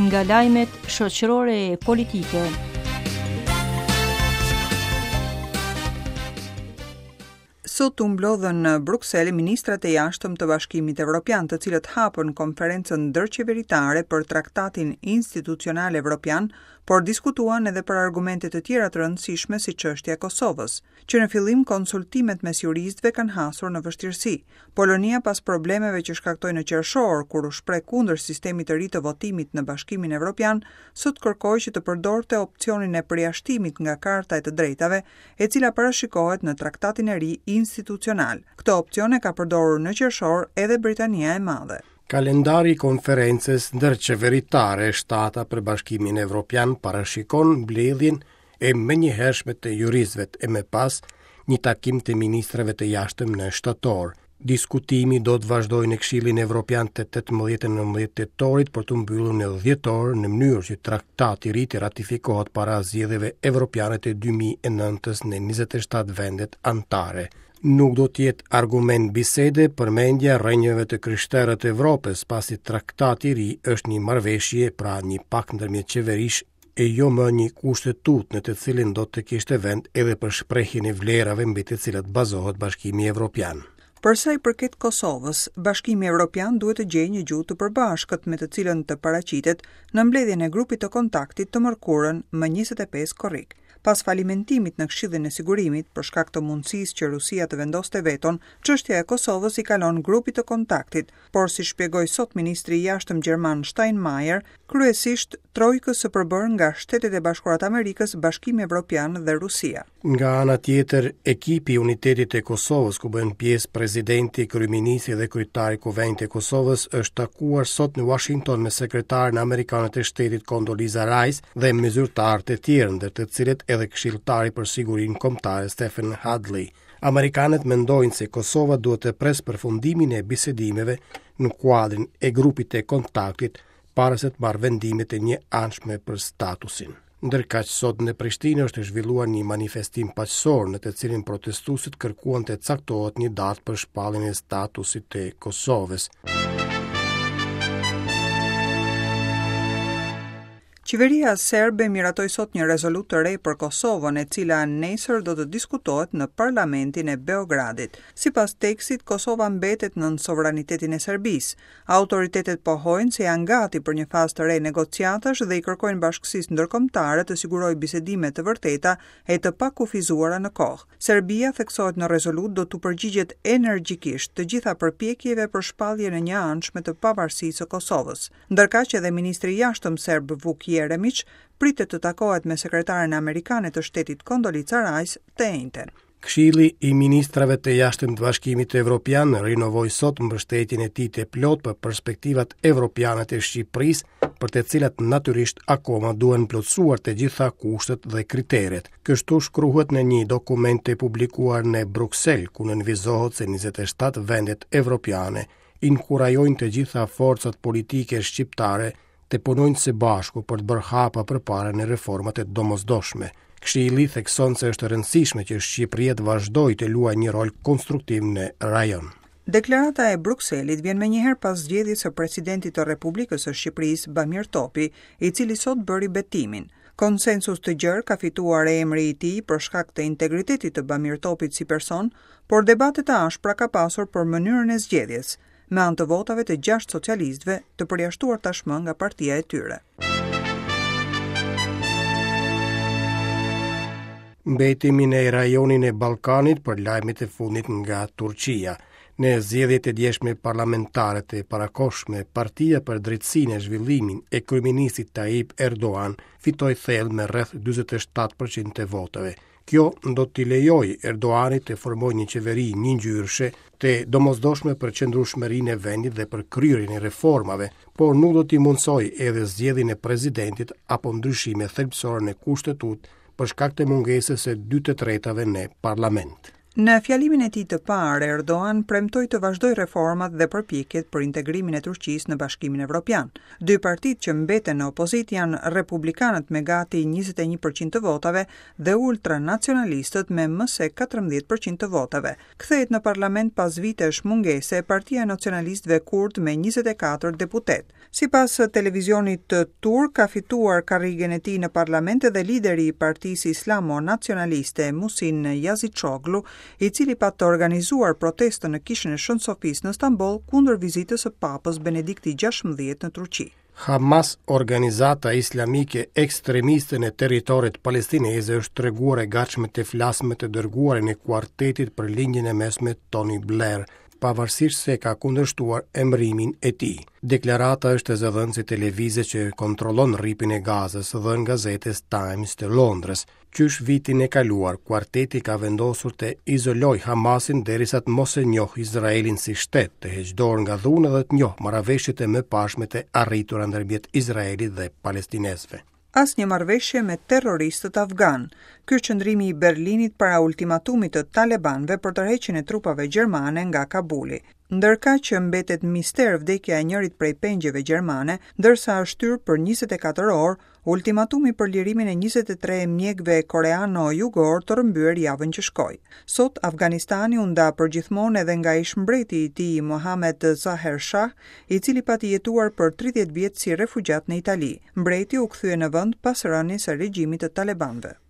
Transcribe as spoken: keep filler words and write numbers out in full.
Nga lajmet shoqërore e politike. Sot u mblodhën në Bruksel ministrat e jashtëm të Bashkimit Evropian, të cilët hapën konferencën ndërqeveritare për Traktatin Institucional Evropian, por diskutuan edhe për argumente të tjera të rëndësishme si çështja e Kosovës. Që në fillim konsultimet mes juristëve kanë hasur në vështirësi. Polonia pas problemeve që shkaktoi në qershor, kur u shpreh kundër sistemit të ri të votimit në Bashkimin Evropian, sot kërkoi që të përdorte opsionin e përjashtimit nga Karta e të Drejtave, e cila parashikohet në Traktatin e ri institucional. Këtë opsion e ka përdorur në qershor edhe Britania e Madhe. Kalendari i konferencës ndërqeveritare shtata për Bashkimin Evropian parashikon mbledhjen e menjëhershme të juristëve e më pas një takim të ministrave të jashtëm në shtator. Diskutimi do të vazhdojë në Këshillin Evropian të tetëmbëdhjetë e nëntëmbëdhjetë tetorit për të mbyllur në dhjetor në mënyrë që traktati i ri të ratifikohet para zgjedhjeve evropiane të dy mijë e nëntës në njëzet e shtatë vendet anëtare. Nuk do të jetë argument bisede përmendja rrënjëve të krishterë të Evropës, pasi traktati i ri është një marrëveshje, pra një pakt ndërmjet qeverish e jo më një kushtetut në të cilin do të kishte vend edhe për shprehjen e vlerave mbi të cilat bazohet Bashkimi Evropian. Për sa i përket Kosovës, Bashkimi Evropian duhet të gjejë një gjuhë të përbashkët me të cilën të paraqitet në mbledhjen e grupit të kontaktit të mërkurën më njëzet e pesë korrik. Pas falimentimit në Këshillin e Sigurimit, për shkak të mundësisë që Rusia të vendoste veton, çështja e Kosovës i kalon grupit të kontaktit, por si shpjegoi sot ministri i jashtëm gjerman Steinmeier, kryesisht trojkës së përbërë nga Shtetet e Bashkuara të Amerikës, Bashkimi Evropian dhe Rusia. Nga ana tjetër, ekipi i Unitetit të Kosovës, ku bën pjesë presidenti, kryeministri dhe kryetari i Kuvendit të Kosovës, është takuar sot në Washington me sekretaren amerikane të shtetit Condoleezza Rice dhe me zyrtarë të tjerë, ndër të cilët edhe këshilltari për sigurinë kombëtare Stephen Hadley. Amerikanët mendojnë se Kosova duhet të presë përfundimin e bisedimeve në kuadrin e grupit të kontaktit para se të marrë vendimet e njëanshme për statusin. Ndërkaq sot në Prishtinë është zhvilluar një manifestim paqësor në të cilin protestuesit kërkuan të caktohet një datë për shpalljen e statusit të Kosovës. Qeveria serbe miratoi sot një rezolutë të re për Kosovën, e cila nesër do të diskutohet në Parlamentin e Beogradit. Sipas tekstit, Kosova mbetet nën sovranitetin e Serbisë. Autoritetet pohojnë se janë gati për një fazë të re negociatash dhe i kërkojnë bashkësisë ndërkombëtare të sigurojë bisedime të vërteta e të pakufizuara në kohë. Serbia, theksohet në rezolutë, do t'u përgjigjet energjikisht të gjitha përpjekjeve për shpalljen e njëanshme të pavarësisë së Kosovës. Ndërkaq edhe ministri i jashtëm serb Vuk Jeremić pritet të takohet me sekretaren amerikane të shtetit Condoleezza Rice të enjten. Këshilli i Ministrave të Jashtëm të Bashkimit Evropian rinovoi sot mbështetjen e tij të plotë për perspektivat evropiane të Shqipërisë, për të cilat natyrisht akoma duhen plotësuar të gjitha kushtet dhe kriteret. Kështu shkruhet në një dokument të publikuar në Bruksel, ku nënvizohet se njëzet e shtatë vendet evropiane inkurajojnë të gjitha forcat politike shqiptare të punojnë së bashku për të bërë hapa përpara në reformat e domosdoshme. Këshilli thekson se është e rëndësishme që Shqipëria të vazhdojë të luajë një rol konstruktiv në rajon. Deklarata e Brukselit vjen menjëherë pas zgjedhjes së presidentit të Republikës së Shqipërisë, Bamir Topi, i cili sot bëri betimin. Konsensus të gjerë ka fituar emri i tij për shkak të integritetit të Bamir Topit si person, por debate të ashpra ka pasur për mënyrën e zgjedhjes, me anë të votave të gjashtë socialistëve të përjashtuar tashmë nga partia e tyre. Mbetemi në rajonin e Ballkanit për lajmet e fundit nga Turqia. Në zgjedhjet e djeshme parlamentare të parakohshme, Partia për Drejtësinë e Zhvillimin e kryeministit Tayyip Erdogan fitoi thellë me rreth dyzet e shtatë përqind të votave. Kjo do t'i lejojë Erdoganit të formojë një qeveri njëngjyrëshe të domosdoshme për qëndrueshmërinë e vendit dhe për kryerjen e reformave, por nuk do t'i mundsojë edhe zgjedhjen e presidentit apo ndryshime thelbësore në kushtetutë për shkak të mungesës së dy të tretave në parlament. Në fjalimin e tij të parë, Erdogan premtoi të vazhdojë reformat dhe përpjekjet për integrimin e Turqisë në Bashkimin Evropian. Dy partitë që mbeten në opozitë janë Republikanët me gati njëzet e një për qind të votave dhe ultranacionalistët me më se katërmbëdhjetë për qind të votave. Kthehet në parlament pas vitesh mungese Partia e Nacionalistëve Kurd me njëzet e katër deputet. Sipas televizionit turk, ka fituar karrigen e tij në parlament edhe lideri i Partisë Islamo-Nacionaliste Muhsin Yazıcıoğlu, i cili pat të organizuar protestën në Kishën e Shën Sofisë në Stamboll kundër vizitës së Papës Benedikti gjashtëmbëdhjetë në Turqi. Hamas, organizata islamike ekstremiste në territoret palestineze, është treguar e gatshme të flasë me të dërguarin e kuartetit për Lindjen e Mesme, Tony Blair, pavarësisht se ka kundërshtuar emërimin e tij. Deklarata është e zëdhënësit të lëvizjes që kontrollon Rripin e Gazës dhe në gazetës Times të Londrës. Qysh vitin e kaluar, kuarteti ka vendosur të izoloj Hamasin derisa të mos e njoh Izraelin si shtet, të heq dorë nga dhuna dhe të njoh marrëveshjet e mëparshme të arritura ndërmjet Izraelit dhe palestinezëve. Asnjë marrëveshje me terroristët afgan. Ky është qëndrimi i Berlinit para ultimatumit të talebanëve për tërheqjen e trupave gjermane nga Kabuli. Ndërkaq që mbetet mister vdekja e njërit prej pengjeve gjermane, ndërsa është shtyrë për njëzet e katër orë ultimatumi për lirimin e njëzet e tre mjekëve koreano-jugor të rrëmbyer javën që shkoi. Sot Afganistani u nda përgjithmonë edhe nga ish mbreti i tij Mohammed Zahir Shah, i cili pati jetuar për tridhjetë vjet si refugjat në Itali. Mbreti u kthye në vend pas rënies së regjimit të talebanëve.